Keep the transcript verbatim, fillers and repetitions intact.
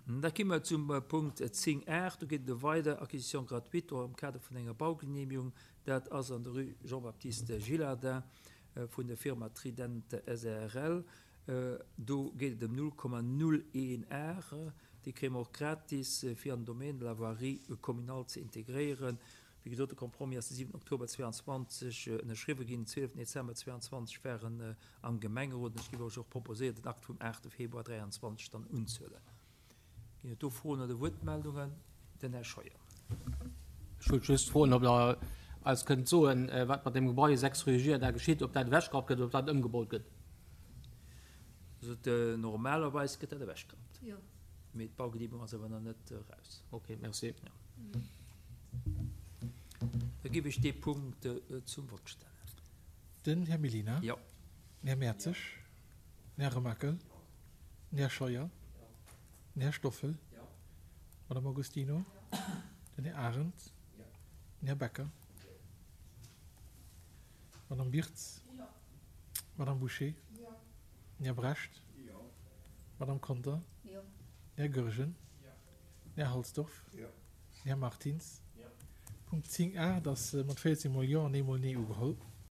Da gi mer zum Punkt zéng aacht. Do geet et ëm weider Acquisition gratuite och am Kader vun enger Baugenehmigung. Dat ass an der Rue Jean-Baptiste Gillardin vun der Firma Trident S A R L. Do geet et ëm null Komma null een Ar. Déi kréie mer och gratis, fir an den Domaine de la voirie communale ze integréieren. Wéi gesot, de Compromis ass de siwenten Oktober zweianzwanzeg ënnerschriwwen ginn. Den zwieleften Dezember zweianzwanzeg war en am Gemengerot. An ech géif och proposéieren, den Akt vum aachte Februar dräianzwanzeg dann unzehuelen. Ginn et do Froen oder Wuertmeldungen? Den Här Scheuer. Ech wollt just froen, ob Der eis kënnt soen, wat mat deem Gebai sechs rue Girardin geschitt, ob dat ewechgerappt gëtt oder ob dat ëmgebaut gëtt. Also normalerweis gëtt dat ewechgerappt. Mee d'Baugenehmigung ass awer nach net eraus. Ok, merci. Da géif ech dee Punkt zum Vott stellen. Den Här Mellina. Jo. Den Här Mertzig. Den Här Remakel. Den Här Scheuer. Den Här Stoffel. D'Madame Agostino. Den Här Arendt. Den Här Becker. D'Madame Birtz. D'Madame Bouché. Den Här Brecht. D'Madame Conter. Den Här Goergen. Den Här Halsdorf. Den Här Martins. Punkt zéng a, dat ass mat véierzéng mol Jo an ee mol Nee ugeholl.